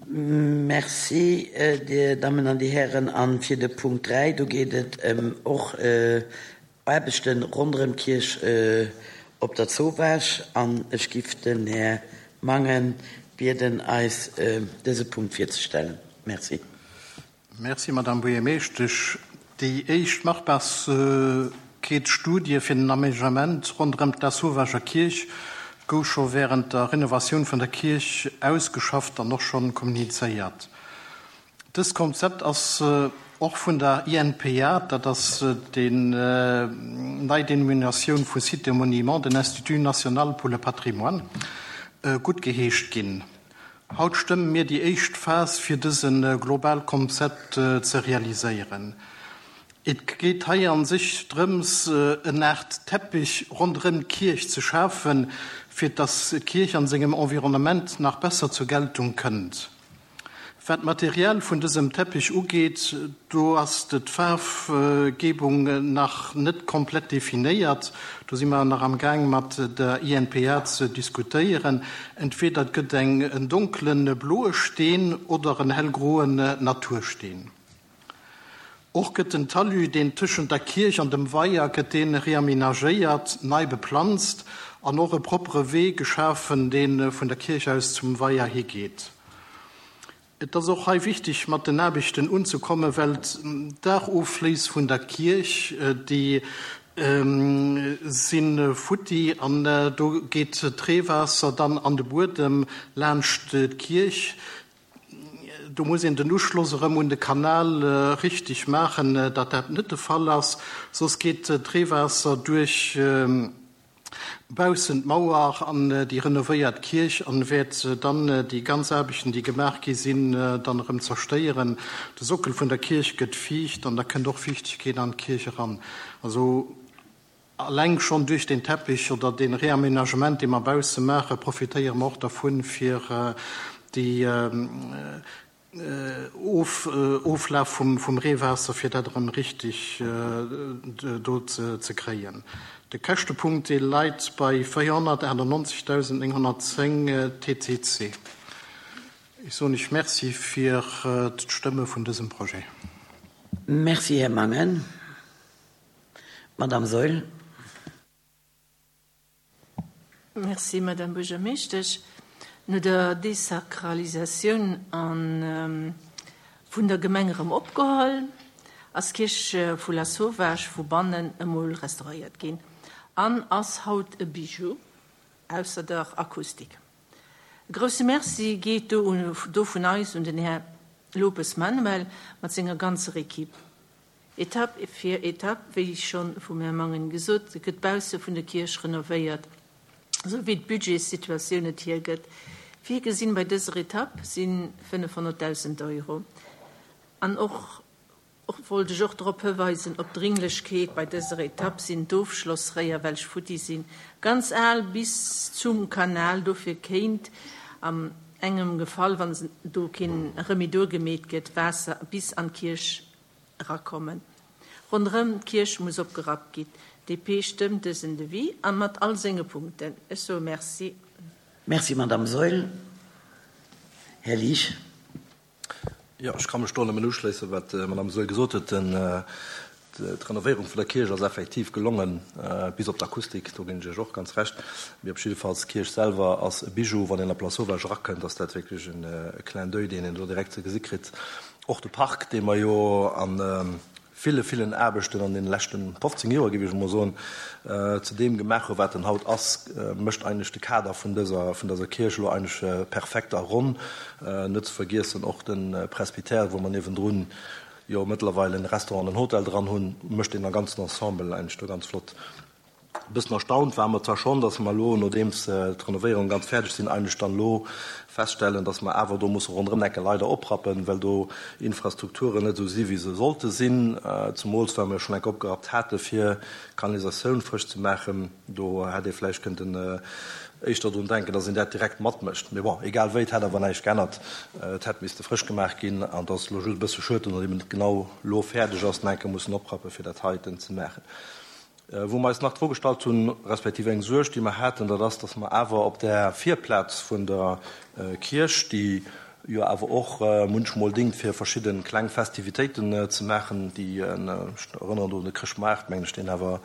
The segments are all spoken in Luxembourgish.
Merci, Dir Dammen an Dir Hären. A fir de Punkt 3, do geet et ëm och Aarbechte ronderëm d'Kierch op der Zowaasch. An ech giff den Här Mangen bieden, eis dëse Punkt virzestellen. Merci. Merci, Madame Buergermeeschtesch. Déi éischt Machbarkeetsstudie fir den Aménagement ronderëm d'Lassauvager Kierch gouf scho wärend der Renovatioun vun der Kierch ausgeschafft an och schonn kommunizéiert. Dëst Konzept ass och vun der INPA, dat ass déi nei Denominatioun vu Sites et Monuments, den Institut national pour le patrimoine, guttgeheescht ginn. Haut stëmme mir déi éischt Phas fir dëse global Konzept ze realiséieren. Et geet hei an sech drëms en Aart Teppich ronderëm d'Kierch ze schafen, fir dass d'Kierch an sengem Environnement nach besser zur Geltung kënnt. Wat d'Material vun dësem Teppich ugeet, do ass d'Faarfgebung nach net komplett definéiert. Do si mer nach am Gaang mat der INPA ze diskutéieren. Entweder et gëtt eng en donkele bloe Steen oder en hellgroen Natursteen. Och gëtt den Talus, deen tëschent der Kierch an dem Weier, gëtt dee reamenagéiert, nei beplanzt an och e proppere Wee geschafen, dee vun der Kierch aus zum Weier higeet. Et ass och hei wichteg, mat den Aarbechten unzekommen, well d'Daachofléiss vun der Kierch, déi si futti an do geet d'Reewaasser dann an de Buedem laanscht d'Kierch. Do muss een den Uschloss erëm un de Kanal richteg maachen, datt dat net de Fall ass, soss geet d'Reewaasser duerch baussent d'Mauer an déi renovéiert Kierch an wäert dann déi ganz Aarbechten, déi gemaach gi sinn, dann erëm zerstéieren. De Sockel vun der Kierch gëtt fiicht an da kënnt och Fiichtegkeet an d'Kierch eran. Also alleng schonn duerch deen Teppich oder dee Réaménagement, dee mer bausse maachen, profitéiere mer och dervun, fir déi Oflaf vum Reewaasser, fir dat erëm richteg do ze kréien. De Käschtepunkt, dee leit bei 498.910 TTC. Ech soen Iech Merci fir d'Stëmme vun dësem Projet. Merci, Här Mangen. D'Madame Saeul. Merci, Madame Buergermeeschtesch. No der Desakralisatioun an vun der Gemeng erëm opgeholl, ass d'Kierch vu Lasauvage vu bannen emol restauréiert ginn an ass haut e Bijou, ausser der Akustik. E grousse Merci geet do do vun eis un den Här Lopes Manuel mat senger ganzer Equipe. Etapp fir Etapp, wéi schonn vum Här Mangen gesot, gëtt d'Bausse vun der Kierch renovéiert, esou wéi d'Budgetssituatioun et hiergëtt. Virgesinn bei dëser Etapp si 500.000 Euro. An och wollt ech och drop hëweisen, op d'Dringlechkeet bei dëser Etapp sinn d'Ofschlossréier, welch futti sinn, ganz al bis zum Kanal. Dofir kéint am engem Gefall, wann do keen Remedur gemeet gëtt, Waasser bis an d'Kierch erakommen. Ronderëm d'Kierch muss opgerappt ginn. DP stëmmt dësen Devis a mat all senge Punkten. Ech soe Merci. Merci, Madame Saeul. Här Liesch. Jo, ech ka mech do nëmmen uschléissen, wat d'Madame Saeul gesot huet. D'Renovéierung vun der Kierch ass effektiv gelongen, bis op d'Akustik, do ginn ech Iech och ganz Recht. Mee op jiddefalls, d'Kierch selwer ass e Bijou. Wann een op Lasauvage erakënnt, ass dat wierklech e Clin d'oeil, deen een do direkt ze gesi kritt. Och de Park, dee mer jo a ville, villen Aarbechten an deene leschte 15 Joer, géif ech emol soen, zu deem gemaach hu wat en haut ass, mécht eigentlech de Kader vun dëser, vun dëser Kierch elo eigentlech perfekt a ronn. Net ze vergiessen och de Presbytère, wou mer niewendrun jo mëttlerweil en Restaurant an en Hotel dran hunn, mécht deen ganzen Ensemble eigentlech do ganz flott. E bëssen erstaunt ware mer zwar schonn, dass mer elo, nodeems d'Renovéierungen ganz fäerdeg sinn, eigentlech dann elo feststellen, dass mer awer do musse ronderëm enke leider oprappen, well do Infrastrukturen net esou si wéi se sollte sinn, zemools well mer jo schonn enke opgerappt hate fir d'Kanalisatioun frësch ze maachen. Do hätt ee vläicht kënnten éischter drun denken, dass een dat direkt matmécht. Mee bon, egal wéi, et hätt awer näischt geännert. Et hätt misste frësch gemaach ginn an et ass elo just e bësse schued, datt eben net genau elo fäerdeg ass, enke mussen oprappen, fir dat heiten ze maachen. Wou mer eis nach d'Fro gestallt hunn, respektiv eng Suerg, déi mer haten, dat ass, dass mer awer op där Virplaz vun der Kierch, déi jo awer och munchmol dingt, fir verschidde kleng Festivitéiten ze maachen, déi, ech erënneren do un de Chrëschtmaart, mengen ech, deen awer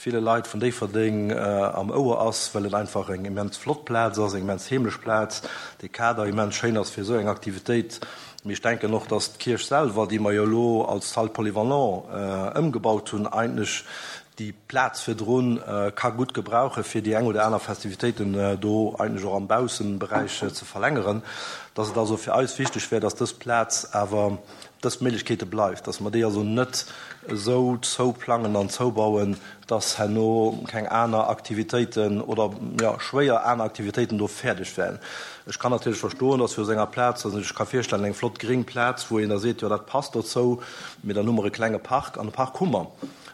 ville Leit vun Déifferdeng am Ouer ass, well et einfach eng immens flott Plaz ass, eng immens heemlech Plaz, dee Kader immens schéin ass fir esou eng Aktivitéit. Mee ech denken och, dass d'Kierch selwer, déi mer jo elo als Salle polyvalent ëmgebaut hunn, eigentlech déi Plaz virdrun ka gutt gebrauchen, fir déi eng oder aner Festivitéiten do eigentlech och am Bausseberäich ze verlängeren. Dass et also fir eis wichteg wär, dass dës Plaz awer dës Méiglechkeete bleift, dass mer déi also net esou zouplangen an zoubauen, dass herno keng aner Aktivitéiten oder, jo, schwéier aner Aktivitéiten do fäerdeg wären. Ech kann natierlech verstoen, dass fir op enger Plaz, also ech ka virstellen, eng flott gréng Plaz, wou een da seet, jo, dat passt dozou, mee dann hu mer e klenge Park an e Park hu mer.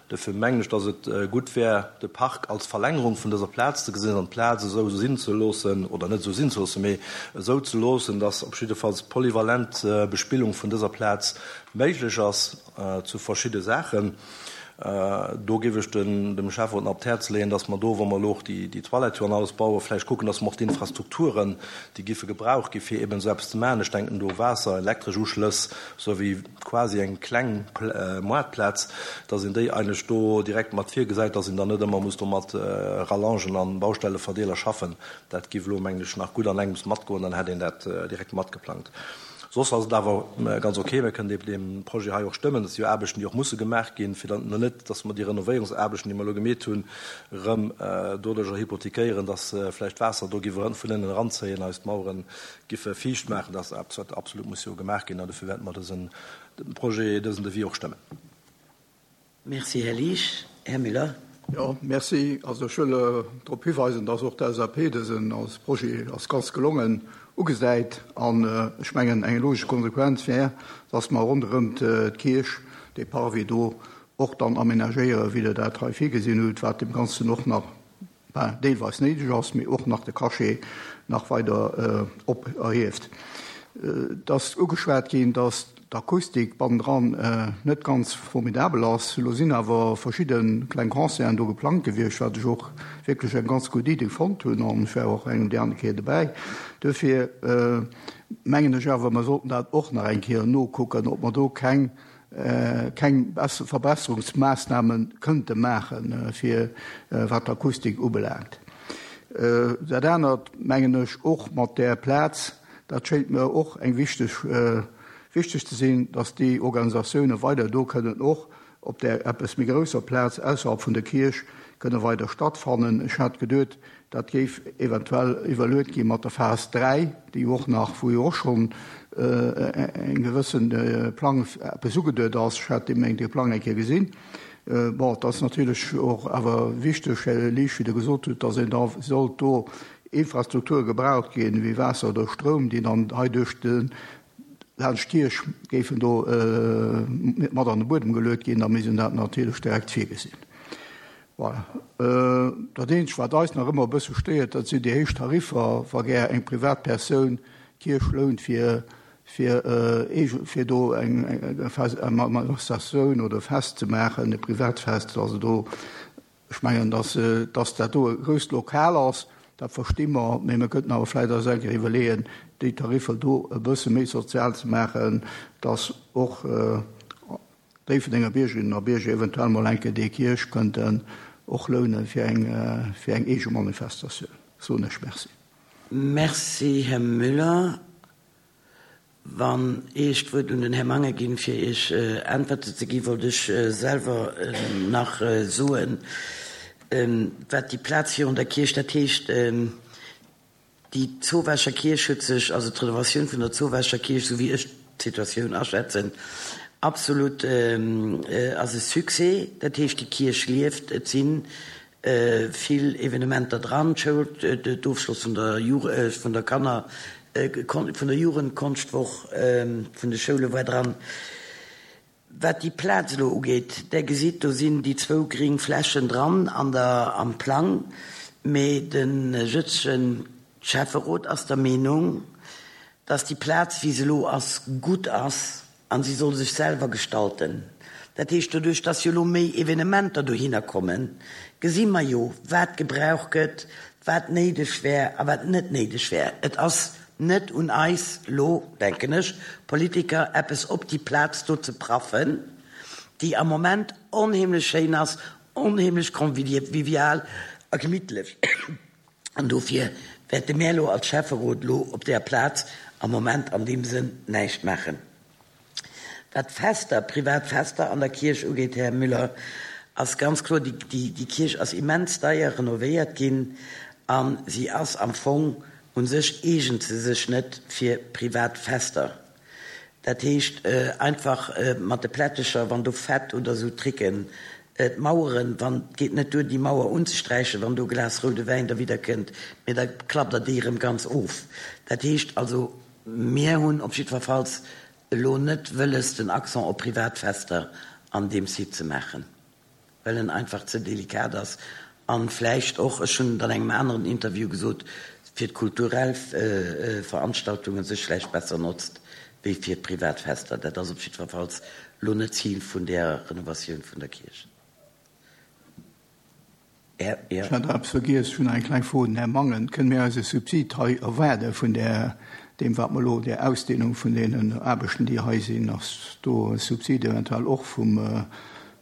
Dofir mengen ech, dass et gutt wär, de Park als Verlängerung vun dëser Plaz ze gesinn an d'Plaz esou sinn ze loossen, oder net esou sinn ze loossen, mee esou ze loossen, dass op jiddefalls polyvalent Bespillung vun dëser Plaz méiglech ass zu verschidde Saachen. Do géif ech dem Schäfferot nach op d'Häerz leeën, dass mer do, wa mer elo och déi Toilette jo an alles bauen, vläicht kucken, dass mer och d'Infrastrukturen, déi giffe gebraucht gi fir eben esou eppes ze maachen, ech denken do Waasser, elektresch Uschlëss, esou wéi quasi eng kleng Moartplaz, dass een déi eigentlech do direkt mat virgesäit, dass een dann net ëmmer muss do mat Rallongen an Baustelleverdeeler schaffen. Dat giff elo, mengen ech, nach gutt an engems matgoen, dann hätt een dat direkt matgeplangt. Soss ass et awer ganz ok. Mir kënnen dee Projet hei och stëmmen. Dat si jo Aarbechten, déi och musse gemaach ginn, fir dann net, dass mer déi Renovéierungsaarbechten, déi mer elo gemeet hunn, erëm doduerjer hypothekéieren, dass vläicht d'Waasser do giff vun ënnen eranzéien, eis d'Mauere giffe fiicht maachen. Dat ass eppes, wat absolut muss jo gemaach ginn an dofir wäerte mer dësen Projet, dësen Devis och stëmmen. Merci, Här Liesch. Här Müller. Jo, merci. Also ech wëll drop hiweisen, dass och d'LSAP dësen als Projet als ganz gelongen ugesäit. An ech mengen, eng logesch Konsequenz wär, dass mer ronderëm d'Kierch dee Parvis do och dann aménagéieren, wéi Der dat hei virgesinn hutt, wat deem Ganzen och nach ben, deelweis néideg ass, mee och nach de Cachet nach weider op erhieft. Et ass ugeschwat ginn, dass d'Akustik bannendran net ganz formidabel ass. Elo sinn awer verschidde kleng Concerten do geplangt gewiescht, wat ech och wierklech eng ganz gutt Idee fonnt hunn, an ech war och eng déi aner Kéier dobäi. Duerfir mengen ech awer, mer sollten dat och nach eng Kéier nokucken, ob mer do keng keng Verbesserungsmaassname kënnte maachen, fir wat d'Akustik ubelaangt. Dat anert mengen ech och mat där Plaz, dat schéngt mir och eng wichteg, wichteg ze sinn, dass déi Organisatioune weider do kënnen och op där eppes méi grousser Plaz ausserhalb vun der Kierch kënne weider stattfannen. Ech hat geduet, Dat géif eventuell iwwerluet gi mat der Phas 3, déi jo och nach, wou jo och schonn eng gewësse Plang eppes ugeduet ass. Ech hat deem dee Plang eng Kéier gesinn. Bon, et ass natierlech och awer wichteg, Här Liesch, wéi Der gesot hutt, datt een da sollt do Infrastrukture gebraucht ginn, wéi Waasser oder Stroum, déi dann hei duerch de laanscht d'Kierch géifen do mat an de Buedem geluet ginn, da misst een dat natierlech direkt virgesinn. Voilà. Dat eenzegt, wat eis nach ëmmer e bësse stéiert, dat sinn déi héich Tariffer, wa gär eng Privatpersoun d'Kierch lount, fir, fir eege, fir do eng Manifestatioun oder e Fest ze maachen, e Privatfest. Also do, ech mengen, dass, dass dat do e grousst Lokal ass, dat versti mer, mee mir könnten awer vläicht eis eng Kéier iwwerleeën, déi Tariffer do e bësse méi sozial ze maachen, dass och, Déifferdenger Biergerinnen a Bierger eventuell mol eng Kéier déi Kierch kënnten och lounen fir eng fir eng eege Manifestatioun. Soen ech Merci. Merci, Här Müller. Wann ech d'Wuert un den Här Mangen ginn, fir Iech Äntwerte ze ginn, wollt ech selwer nach soen, wat déi Plaz virun der Kierch, dat heescht, Déi Zowaacher Kierch huet sech, also d'Renovatioun vun der Zowaacher Kierch, esou wéi ech d'Situatioun aschätzen, absolut ass e Succès. Dat heescht, déi Kierch lieft, et si vill Evenementer dran, d'Schoul, d'Ofschloss vun der vun der Kanner, vun der Jugendkonschtwoch vun de Schoule war dran. Wat déi Plaz elo ugeet, Der gesitt, do sinn déi zwou gring Flächen dran an der, am Plang, mee de jëtzege Schäfferot ass der Meenung, dass déi Plaz, wéi se elo ass, gutt ass a si soll sech selwer gestalten. Dat heescht, doduerch dass jo elo méi Evenementer dohinner kommen, gesi mer jo, wat gebraucht gëtt, wat néideg wär a wat net néideg wär. Et ass net un eis elo, denken ech, Politiker, eppes op déi Plaz do ze praffen, déi am Moment onheemlech schéin ass, onheemlech convivial a gemittlech. An dofir wäerte mär elo als Schäfferot elo op där Plaz am Moment an deem Sënn näischt maachen. Wat d'Fester, privat Fester an der Kierch ugeet, Här Müller, ass ganz kloer, déi Kierch ass immens deier renovéiert ginn a si ass am Fong u sech eegent se sech net fir privat Fester. Dat heescht einfach mat de Plättecher, wann do Fett oder esou Tricken, d'Maueren, wann, et geet net duer déi Mauer unzesträichen, wann do e Glas roude Wäin derwidder kënnt, mee da klappt Der déi erëm ganz of. Dat heescht also, mir hunn op jiddwerfalls elo net wëlles den Accent op privat Fester an deem Site ze maachen. well en einfach ze delikat ass an vläicht och, ech hunn et an engem aneren Interview gesot, fir d'kulturell Veranstaltungen sech vläicht besser notzt wéi fir privat Fester. Dat ass op jiddwerfalls elo net d'Zil vun där Renovatioun vun der Kierch. Ech hat eppes vergiess, ech hunn nach eng kleng Fro un den Här Mangen. Kënne mir eis e Subsid hei erwaarde vun där, deem wat mer elo, där Ausdehnung vun deenen Aarbechten, déi hei sinn? Ass do e Subsid eventuell och vum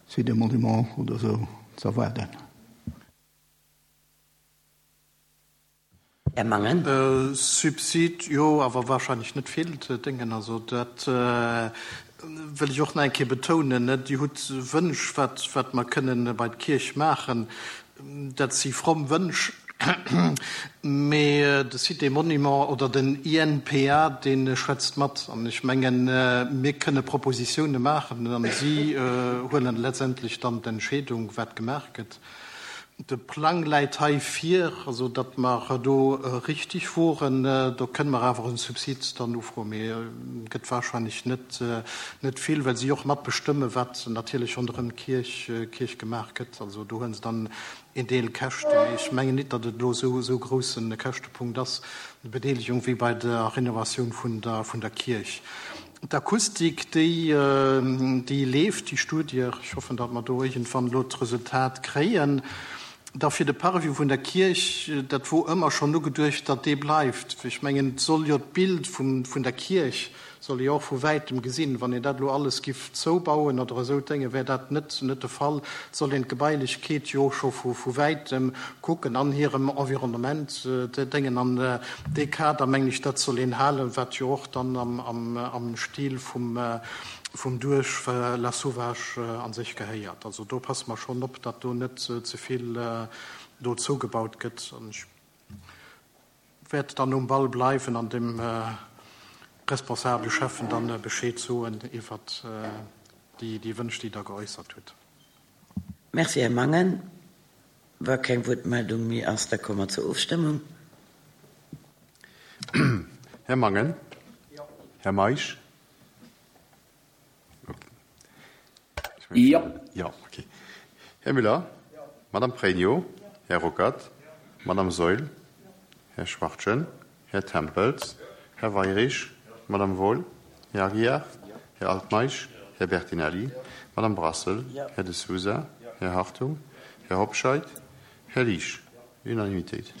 Site des Monuments oder esou ze erwaarden? Här Mangen. Subsid, jo, awer wahrscheinlech net vill Déngen. Also dat wëll ech och nach eng Kéier betounen. Dir hutt Wënsch, wat, wat mer kënnen bei d'Kierch maachen. Dat si fromm Wënsch, mee de Site des Monuments oder den INPA, dee schwätzt mat. An ech mengen, mir kënne Propositione maachen a si huelen letztendlech dann d'Entscheedung, wat gemaach gëtt. De Plang läit hei vir, also datt mer do richtig woren. Do kënne mer awer e Subsid dann ufroen, mee et gëtt wahrscheinlech net, net vill, well si och mat bestëmmen, wat natierlech ronderëm d'Kierch, Kierch gemaach gëtt. Also do huele se dann een Deel Käschten. Mee ech mengen nit, datt et elo esou, esou grousse Käschtepunkt ass, Bedeelegung, wéi bei der Renovatioun vun der, vun der Kierch. D'Akustik, déi, déi leeft, déi Studie. Ech hoffen, datt mer do iergendwann elo d'Resultat kréien. Da fir de Parvis vun der Kierch, dat wor ëmmer schonn ugeduecht, datt dee bleift. Ech mengen, et soll jo d'Bild vum, vun der Kierch soll ee jo och vu wäitem gesinn. Wann een dat elo alles giff zoubauen oder esou Dénge, wär dat net, net de Fall. Et soll een d'Gebailechkeet jo och scho vu, vu wäitem kucken an hirem Environnement Déngen. An dee Kader, mengen ech, dat soll een halen, wat jo och dann am Stil vum Duerf Lasauvage a sech gehéiert. Also do passe mer schonn op, datt do net ze vill do zougebaut gëtt. An ech wäert dann um Ball bleiwen an dem responsabele Schäffen dann Bescheed soen iwwert déi Wënsch, déi Der geäussert hutt. Merci, Här Mangen. Wa keng Wuertmeldung méi ass, da komme mer zur Ofstëmmung. Här Mangen? Här Meisch? Jo. Jo, okay. Här Müller? Madame Pregno? Här Ruckert? Madame Saeul? Här Schwachtgen? Här Tempels? Här Weirich? Madame Wohl? Här Aguiar? Här Altmeisch? Här Bertinelli? Madame Brassel? Här De Sousa? Här Hartung? Här Hobscheit? Här Liesch? Unanimitéit.